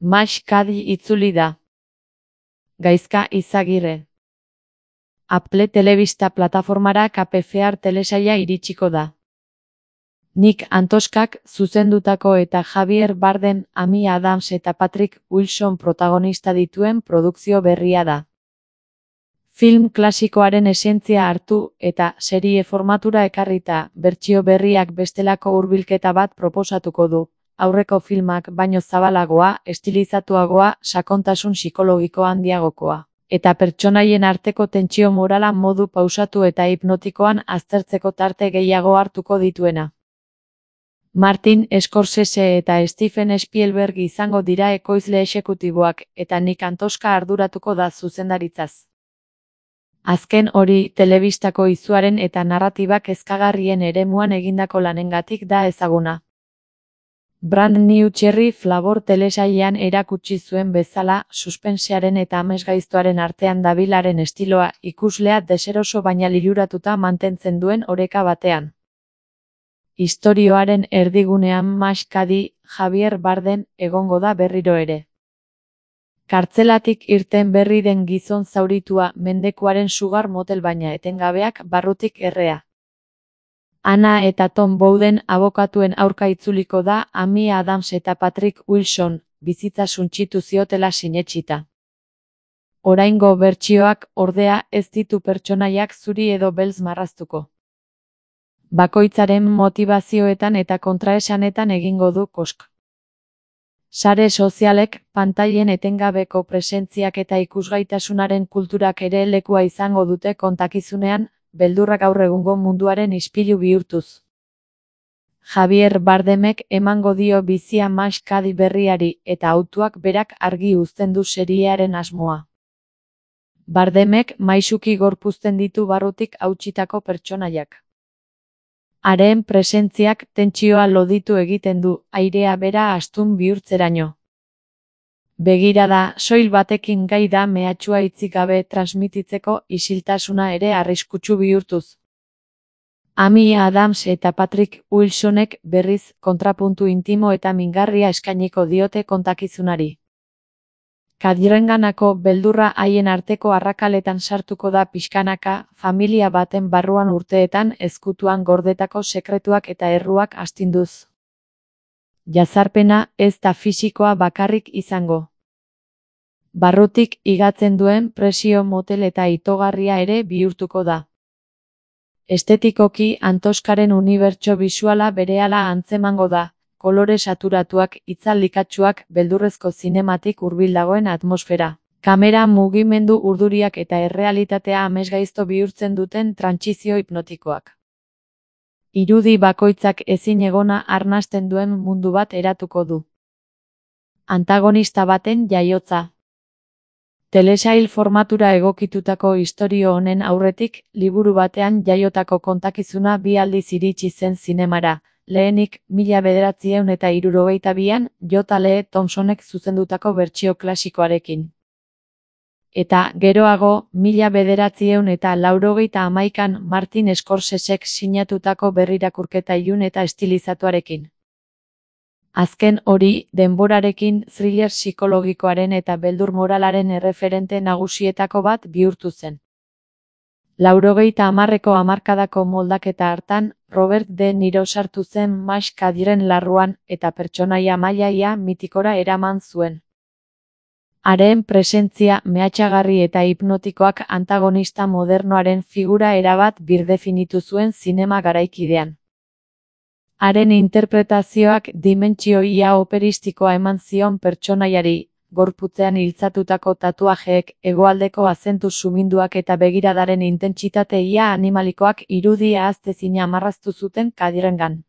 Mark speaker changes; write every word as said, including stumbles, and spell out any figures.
Speaker 1: Max Kadi itzuli da. Gaizka Izagirre. Apple telebista plataformara Kapefear telesaila iritsiko da. Nick Antoskak zuzendutako eta Javier Bardem, Amy Adams eta Patrick Wilson protagonista dituen produkzio berria da. Film klasikoaren esentzia hartu eta serie formatura ekarrita bertsio berriak bestelako hurbilketa bat proposatuko du. Aurreko filmak baino zabalagoa, estilizatuagoa, sakontasun psikologiko handiagokoa, eta pertsonaien arteko tentsio morala modu pausatu eta hipnotikoan aztertzeko tarte gehiago hartuko dituena. Martin Scorsese eta Steven Spielberg izango dira ekoizle exekutiboak eta Nick Antoska arduratuko da zuzendaritzaz. Azken hori, telebistako izuaren eta narratibak kezkagarrien eremuan egindako lanengatik da ezaguna. Brand New Cherry Flavor telesailean erakutsi zuen bezala, suspensearen eta amesgaiztoaren artean dabilaren estiloa ikuslea deseroso baina liluratuta mantentzen duen oreka batean. Istorioaren erdigunean Max Kadi, Javier Bardem, egongo da berriro ere. Kartzelatik irten berri den gizon zauritua mendekuaren sugar motel baina etengabeak barrutik errea. Anna eta Tom Bowden abokatuen aurka itzuliko da Amy Adams eta Patrick Wilson, bizitza suntsitu ziotela sinetsita. Oraingo bertsioak, ordea, ez ditu pertsonaiak zuri edo beltz marraztuko. Bakoitzaren motivazioetan eta kontraesanetan egingo du kosk. Sare sozialek, pantailen etengabeko presentziak eta ikusgaitasunaren kulturak ere lekua izango dute kontakizunean, beldurrak gaur egungo munduaren ispilu bihurtuz. Javier Bardemek emango dio bizia Max Kadi berriari eta autuak berak argi uzten du seriearen asmoa. Bardemek maisuki gorpuzten ditu barrutik hautsitako pertsonaiak. Haren presentziak tentsioa loditu egiten du, airea bera astun bihurtzeraino. Begirada soil batekin gai da mehatxua hitzik gabe transmititzeko isiltasuna ere arriskutsu bihurtuz. Amy Adams eta Patrick Wilsonek berriz kontrapuntu intimo eta mingarria eskainiko diote kontakizunari. Kadirenganako beldurra haien arteko arrakaletan sartuko da pixkanaka, familia baten barruan urteetan ezkutuan gordetako sekretuak eta erruak astinduz. Jazarpena ez da fisikoa bakarrik izango. Barrutik igatzen duen presio motel eta itogarria ere bihurtuko da. Estetikoki Antoskaren unibertso bisuala berehala antzemango da, kolore saturatuak, itzaldikatsuak, beldurrezko zinematik hurbil dagoen atmosfera. Kamera mugimendu urduriak eta errealitatea amesgaizto bihurtzen duten trantsizio hipnotikoak. Irudi bakoitzak ezin egona arnasten duen mundu bat eratuko du. Antagonista baten jaiotza. Telesail formatura egokitutako istorio honen aurretik, liburu batean jaiotako kontakizuna bi aldiz iritsi zen zinemara, lehenik mila bederatziehun eta hirurogeita bian, J. Lee Thompsonek zuzendutako bertsio klasikoarekin. Eta, geroago, mila bederatziehun eta laurogeita hamaikan Martin Scorsesek sinatutako berrirakurketa ilun eta estilizatuarekin. Azken hori, denborarekin thriller psikologikoaren eta beldur moralaren erreferente nagusietako bat bihurtu zen. Laurogeita hamarreko hamarkadako moldaketa hartan, Robert De Niro sartu zen Max Kadiren larruan eta pertsonaia mailaia mitikora eraman zuen. Haren presentzia mehatxagarri eta hipnotikoak antagonista modernoaren figura erabat birdefinitu zuen zinema garaikidean. Haren interpretazioak dimentsio ia operistikoa eman zion pertsonaiari, gorputzean iltzatutako tatuajeek, hegoaldeko azentu suminduak eta begiradaren intentsitate ia animalikoak irudia ahaztezina marraztu zuten Kadirengan.